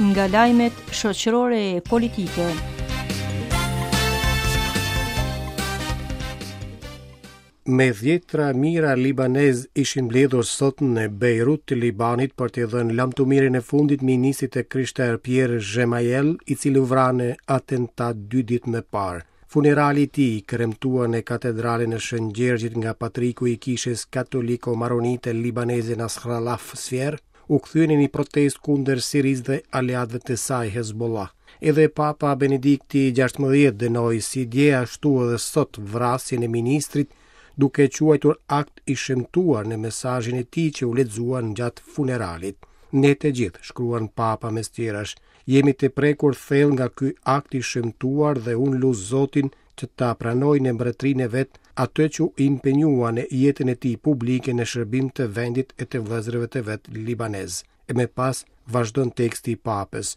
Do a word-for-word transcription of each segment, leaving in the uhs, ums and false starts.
Nga lajmet shoqërore e politike. Me dhjetra mijëra libanez ishin mbledhur sot në Beirut të Libanit për t'i dhënë lamtumirën e fundit ministrit të krishterë Pierre Gemayel, i cili u vra në atentat dy ditë më parë. Funerali i tij kremtua në katedralen e Shën Gjergjit nga patriku i kishës katoliko-maronite libaneze Nasrallah Sfer, u kthye në një protestë kundër Sirisë dhe aleatëve të saj Hezbollah. Edhe Papa Benedikti gjashtëmbëdhjetë dënoi si dje ashtu edhe sot vrasjen e ministrit, duke e quajtur akt i shëmtuar në mesazhin e tij që u lexua gjatë funeralit. Ne të gjithë, shkruan Papa mes tjerash, jemi të prekur thellë nga ky akt i shëmtuar dhe unë lus Zotin që ta pranoj në mbretërinë e vet atë që u impenjua në jetën e tij publike në shërbim të vendit e të vëllezërve të vet libanez. E më pas vazhdon teksti i Papës.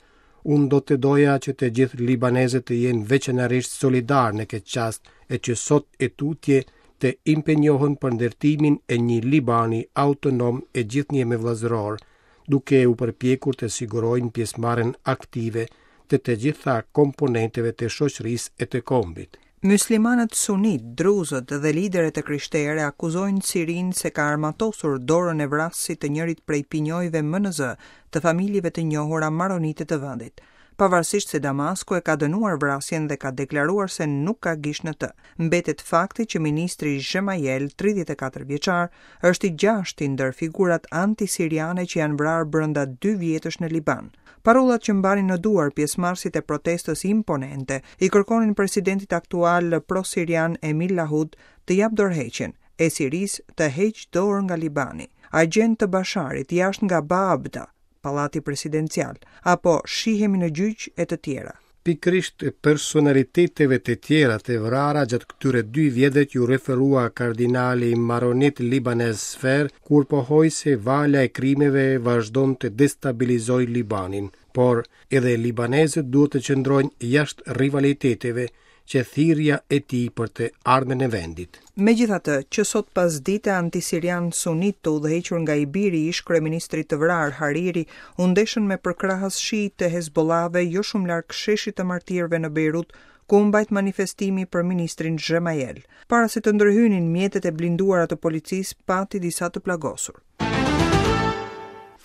Unë do të doja që të gjithë libanezët të jenë veçanërisht solidar në këtë çast e që sot e tutje të impenjohen për ndërtimin e një Libani autonom e gjithnjë me vëllazëror, duke u përpjekur të sigurojnë pjesëmarrjen aktive të të gjitha komponenteve të shoqërisë e të kombit. Muslimanët sunit, druzët dhe liderët e krishterë akuzojnë Sirinë se ka armatosur dorën e vrasësit të njërit prej pinjojve më në zë të familjeve të njohura maronite të vendit. Pavarësisht se Damasku e ka dënuar vrasjen dhe ka deklaruar se nuk ka gisht në të, mbetet fakti që ministri Gemayel, tridhjetë e katër vjeçar, është i gjashti ndër figurat anti-siriane që janë vrarë brenda dy vjetësh në Liban. Parollat që mbanin në duar pjesëmarrësit e protestës imponente i kërkonin presidentit aktual pro-sirian Emil Lahud të japë dorëheqjen, e Sirisë të heqë dorë nga Libani. Agjent të Basharit jashtë nga Baabda, pallati presidencial, apo shihemi në gjyq e të tjera. Pikërisht personaliteteve të tjera të vrara gjatë këtyre dy vjetëve ju referua kardinali maronit libanez Sfer, kur pohoi se vala e krimeve vazhdon të destabilizojë Libanin, por edhe libanezët duhet të qëndrojnë jashtë rivaliteteve që thirrja e tij për të ardhmen e vendit. Megjithatë, që sot pas dite antisirian sunit të udhëhequr nga i biri i ish kryeministrit të vrarë Hariri u ndeshën me përkrahës shiit të Hezbollahve jo shumë larg sheshit të martirëve në Beirut, ku u mbajt manifestimi për ministrin Gemayel. Para se të ndërhynin mjetet e blinduara të policisë, pati disa të plagosur.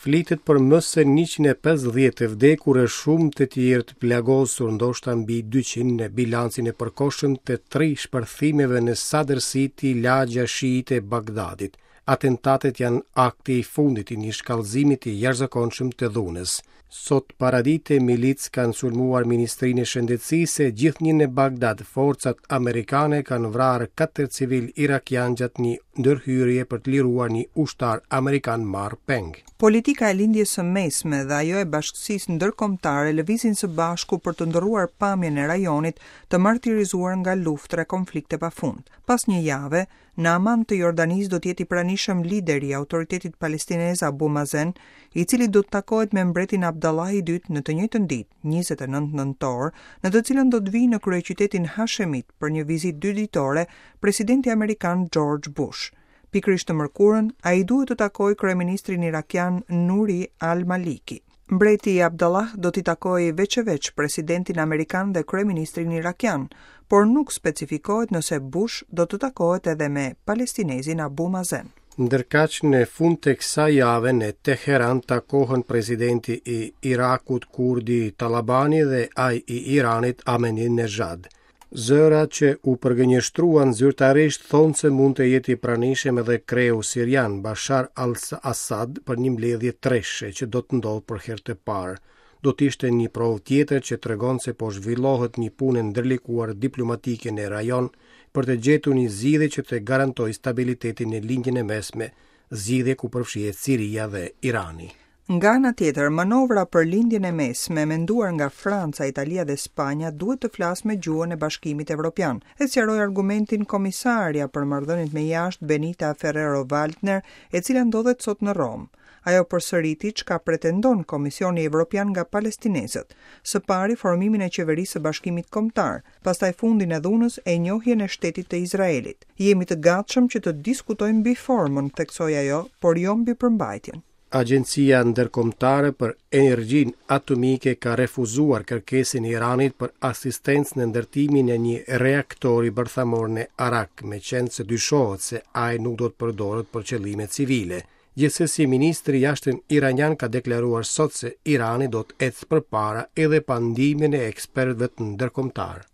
Flitet për më se njëqind e pesëdhjetë të vdekur e shumë të tjerë të plagosur, ndoshta mbi dyqind në bilancin e përkohshëm të tri shpërthimeve në Sadr City, lagja shiite e Bagdadit. Atentatet janë akti i fundit i një shkallëzimi të jashtëzakonshëm të dhunës. Sot paradite milicë kanë sulmuar Ministrinë e Shëndetësisë e gjithnjë në Bagdad forcat amerikane kanë vrarë katër civil irakian gjatë një ndërhyrje për të liruar një ushtar amerikan marrë peng. Politika e lindjes së mesme dhe ajo e bashkësisë ndërkombëtare lëvizin së bashku për të ndërruar pamjen e rajonit të martirizuar nga luftra e konflikte pafund. Pas një jave, në Aman të Jordanisë do të jetë i pranishëm lideri i autoritetit palestinez Abu Mazen, i cili do të takohet me mbretin Abdallah i dytë në të njëjtën ditë, njëzet e nëntë nëntor, në të cilën do të vijë në kryeqytetin Hashemit për një vizitë dy ditore presidenti amerikan George Bush. Pikërisht të mërkurën, ai duhet të takojë kryeministrin irakian Nuri al-Maliki. Mbreti Abdallah do t'i takojë veç e veç presidentin amerikan dhe kryeministrin irakian, por nuk specifikohet nëse Bush do të takohet edhe me palestinezin Abu Mazen. Ndërkaq në fund të kësaj jave në Teheran takohen presidenti i Irakut Kurdi Talabani dhe ai i Iranit Ahmadinejad. Zëra që u përgënjeshtruan zyrtarisht thonë se mund të jetë i pranishëm edhe kreu sirian Bashar al-Assad për një mbledhje treshe që do të ndodhë për herë të parë. Do të ishte një provë tjetër që tregon se po zhvillohet një punë e ndërlikuar diplomatike në rajon për të gjetur një zgjidhje që të garantojë stabilitetin në Lindjen e Mesme, zgjidhje ku përfshihet Siria dhe Irani. Nga ana tjetër, manovra për Lindjen e Mesme menduar nga Franca, Italia dhe Spanja duhet të flasë me gjuhën e Bashkimit Evropian. E sqaroi argumentin komisarja për marrëdhëniet me jashtë Benita Ferrero-Waldner, e cila ndodhet sot në Romë. Ajo përsëriti çka pretendon Komisioni Evropian nga palestinezët. Së pari formimin e qeverisë së Bashkimit Kombëtar, pastaj fundin e dhunës e njohjen e shtetit të Izraelit. Jemi të gatshëm që të diskutojmë mbi formën, theksoi ajo, por jo mbi përmbajtjen. Agjencia Ndërkombëtare për Energjinë Atomike ka refuzuar kërkesën e Iranit për asistencë në ndërtimin e një reaktori bërthamor në Arak, meqenëse dyshohet se ai nuk do të përdoret për qëllime civile. Gjithsesi, ministri i jashtëm iranian ka deklaruar sot se Irani do të ecë përpara edhe pa ndihmën e ekspertëve ndërkombëtar.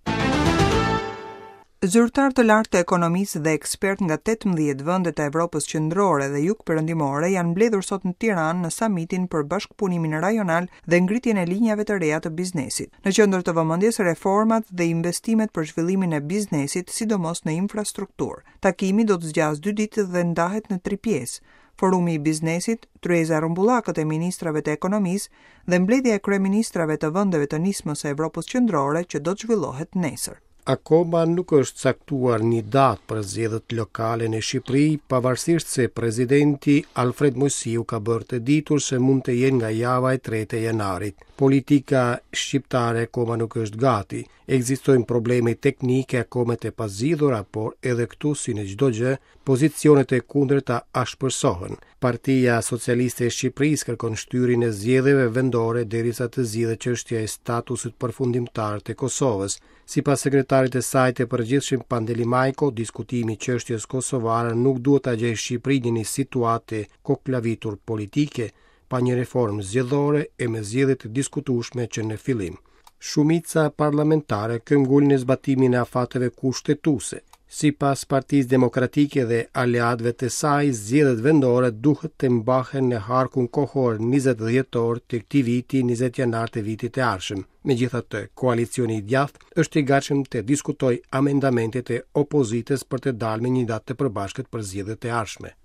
Zyrtar të lartë të ekonomisë dhe ekspertë nga tetëmbëdhjetë vende të Evropës Qendrore dhe Jug-Perëndimore janë mbledhur sot në Tiranë në samitin për bashkëpunimin rajonal dhe ngritjen e linjave të reja të biznesit. Në qendër të vëmendjes reformat dhe investimet për zhvillimin e biznesit, sidomos në infrastrukturë. Takimi do të zgjasë dy ditë dhe ndahet në tri pjesë: Forumi i biznesit, tryeza e rrumbullakët e ministrave të ekonomisë dhe mbledhja e kryeministrave të vendeve të nismës së Evropës Qendrore që do të zhvillohet nesër. Akoma nuk është caktuar një datë për zgjedhjet lokale në Shqipëri, pavarësisht se presidenti Alfred Moisiu ka bërë të ditur se mund të jenë nga java e tretë e janarit. Politika shqiptare akoma nuk është gati. Ekzistojnë probleme teknike akoma të pazgjidhura, por edhe këtu si në çdo gjë, pozicionet e kundërta ashpërsohen. Partia Socialiste e Shqipërisë kërkon shtyrjen e zgjedhjeve vendore derisa të zgjidhet çështja e statusit përfundimtar të Kosovës. Sipas sekretarit të saj të përgjithshëm Pandeli Majko, diskutimi i çështjes kosovare nuk duhet ta gjejë Shqipërinë në një situatë koklavitur politike, pa një reformë zgjedhore e me zgjedhje të diskutueshme që në fillim. Shumica parlamentare këmbgul në zbatimin e afateve kushtetuese. Sipas Partisë Demokratike dhe aleatëve të saj, zgjedhjet vendore duhet të mbahen në harkun kohor njëzet dhjetor të këtij viti, njëzet janar të vitit të ardhshëm. Megjithatë, koalicioni i djathtë është i gatshëm të diskutojë amendamentet e opozitës për të dalë me një datë të përbashkët për zgjedhjet e ardhshme.